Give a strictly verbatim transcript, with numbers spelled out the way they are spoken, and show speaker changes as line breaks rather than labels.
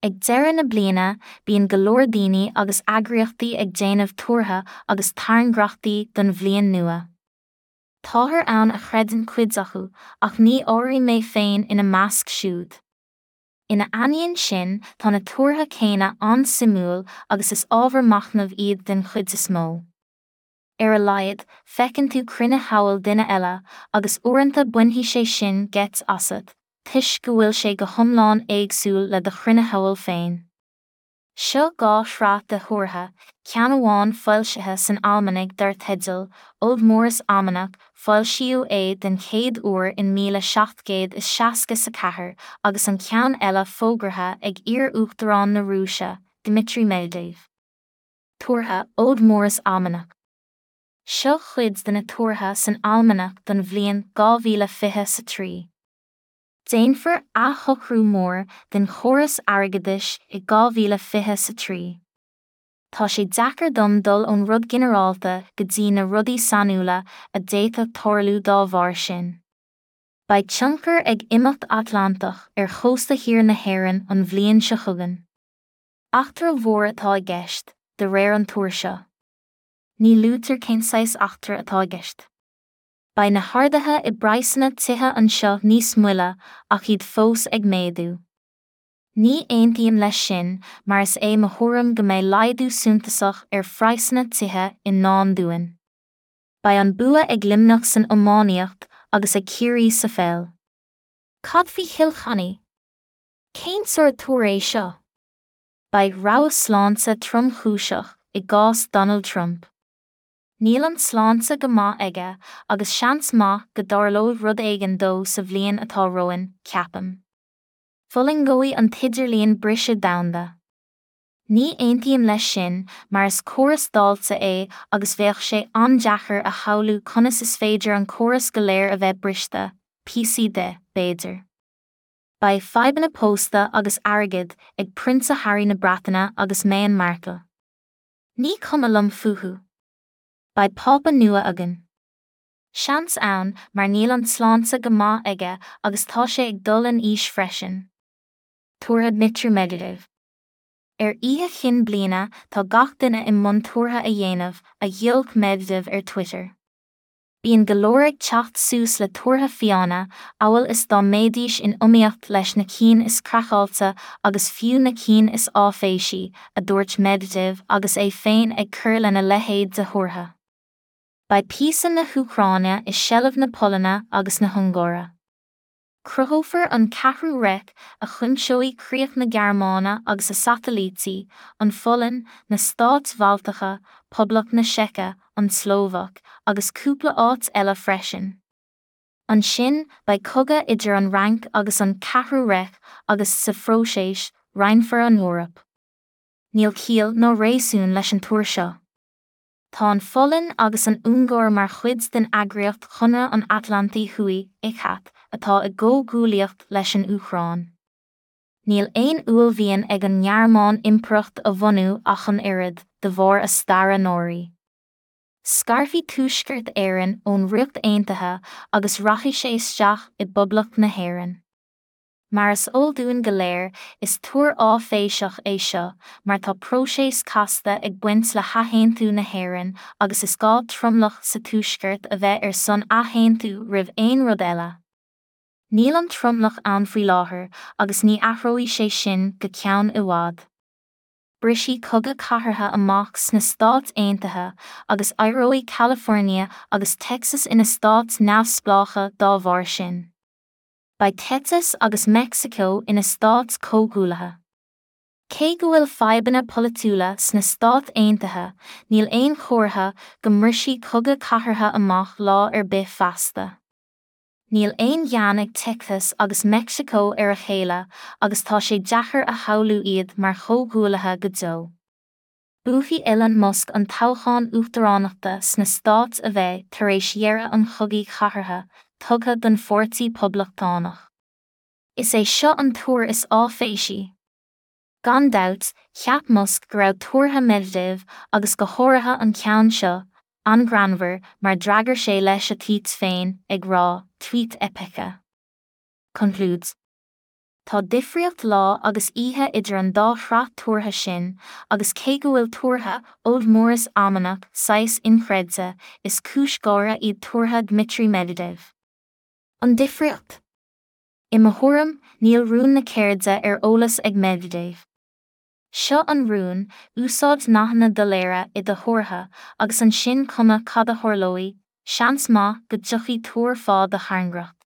Ag deireadh na bliana, bíonn go leor daoine agus eagraíochtaí ag déanamh tuartha agus tairngreachtaí don bhliain nua. Táthar ann a chreideann cuid acu, ach ní áirím mé féin ina measc siúd. Ina ainneoin sin, tá na tuartha céanna an-suimiúil agus is ábhar machnaimh iad den chuid is mó. Ar a laghad, feiceann tú cruinneshamhail duine eile, agus uaireanta bainfidh sé sin geit asat, toisc go bhfuil sé go hiomlán éagsúil le do chruinneshamhail féin. Seo dhá shraith de thuartha, ceann amháin foilsithe san almanach dar teideal Old Morris Almanac, foilsíodh é den chéad uair in míle seacht gcéad is seasca a ceathair, agus an ceann eile fógartha ag iar-uachtarán na Rúise, Dmitry Medvedev. Tuartha Old Morris Almanac. Seo cuid de na tuartha san almanach don bhliain dhá mhíle fiche a trí. Déanfar athshocrú mór den chóras airgeadais i dhá mhíle fiche a trí. Tá sé deacair dom dul ón rud ginearálta go dtí na rudaí sainiúla a d'fhéadfadh tarlú dá bharr sin. Beidh tionchar ag imeacht Atlantach ar chósta thiar na hÉireann an bhliain seo chugainn. Eachtra mhór atá i gceist, de réir an tuar seo. Ní luaitear cén saghas eachtra atá i gceist. Beidh na harduithe i bpraghsanna tithe anseo níos moille ach iad fós ag méadú. Ní aontaím leis sin mar is é mo thuairim go mbeidh laghdú suntasach ar phraghsanna tithe i ndán dúinn. Beidh an bua ag Luimneach san iománaíocht agus ag Ciarraí sa pheil. Cad faoi Chill Chainnigh? Cén sórt tuar é seo? Beidh rabhadh sláinte tromchúiseach i gcás Donald Trump. Níl an tsláinte go maith aige agus seans maith go dtarlóidh rud éigin dó sa bhliain atá romhainn, ceapaim. Fulaingeoidh an t-idirlíon briseadh domhanda. Ní aontaím leis sin mar is córas dáilte é agus bheadh sé an-deacair a shamhlú conas is féidir an córas go léir a bheith briste, píosaí de, b'fhéidir. Beidh fadhbanna pósta agus airgid ag Prionsa Harry na Breataine agus Meghan Markle. Ní cuma liom fúthu. Beidh Pápa nua againn. Seans ann mar níl an tsláinte go maith aige agus tá sé ag dul in aois freisin. Tuartha Dmitry Medvedev. Ar oíche chinn bliana tá gach duine i mbun tuartha a dhéanamh, a ghiolc Medvedev ar Twitter. Bíonn go leor ag teacht suas le tuartha fiáine, amhail is dá mbeidís in iomaíocht leis na cinn is craiceáilte agus fiú na cinn is áiféisí, a dúirt Medvedev agus é féin ag cur lena leithéid de thuartha. Beidh píosa na hÚcráine i seilbh na Polainne agus na hUngáire. Cruthófar an Ceathrú Reich a chuimseoidh críoch na Gearmáine agus a satailítí, an Pholainn, na Stáit Bhaltacha, Poblacht na Seice, an tSlóvaic, agus cúpla áit eile freisin. Ansin, beidh cogadh idir an Fhrainc agus an Ceathrú Reich agus sa phróiseas, roinnfear an Eoraip. Níl ciall ná réasún leis an tuar seo. Tá an Pholainn agus an Ungáir mar chuid den eagraíocht Chonradh an Atlantaigh Thuaidh, ICAT, atá i gcomhghuaillíocht leis an Úcráin. Níl aon uaillmhian ag an nGearmáin impireacht a bhunú ach an oiread, de bharr a staire náirí. Scarfaidh Tuaisceart Éireann ón Ríocht Aontaithe agus rachaidh sé isteach i bPoblacht na hÉireann. Mar is eol dúinn go léir, is tuar áiféiseach é seo, mar tá próiseas casta ag baint le hathaontú na hÉireann agus is gá tromlach sa tuaisceart a bheith ar son athaontú roimh aon rud eile. Níl an tromlach ann faoi láthair agus ní athróidh sé sin go ceann i bhfad. Brisfidh cogadh cathartha amach sna Stáit Aontaithe agus éireoidh California agus Texas ina stáit neamhspleácha dá bharr sin. Beidh Texas agus Meicsiceo ina stáit comhghuaillithe. Cé go bhfuil fadhbanna polaitiúla sna Stáit Aontaithe, níl aon chomhartha go mbrisfidh cogadh cathartha amach lá ar bith feasta. Níl aon ghean ag Texas agus Meicsiceo ar a chéile agus tá sé deacair a shamhlú iad mar chomhghuaillithe go deo. Buafaidh Elon Musk an toghchán uachtaránachta sna stáit a bheidh tar éis dheireadh an chogaidh chathartha, tugtha don pháirtí poblachtánach. Is é seo an tuar is áiféisí. Gan dabht, cheap Musk go raibh tuartha Medvedev agus go háirithe an ceann seo, an-ghreannmhar mar d'fhreagair sé leis a tweet féin, ag rá, tweet epice. Concludes. Tá difríocht lá agus oíche idir an dá shraith tuartha sin, agus cé go bhfuil tuartha Old Morris Almanac saghas inchreidte, is cúis gháire iad tuartha Dmitry Medvedev. An difríocht? I mo thuairim, níl rún na ceirde ar eolas ag Medvedev. Seo an rún, úsáid nathanna doiléire i do thuartha, agus ansin cuma cad a tharlóidh, seans maith go dtiocfaidh tuar fá do thairngreacht.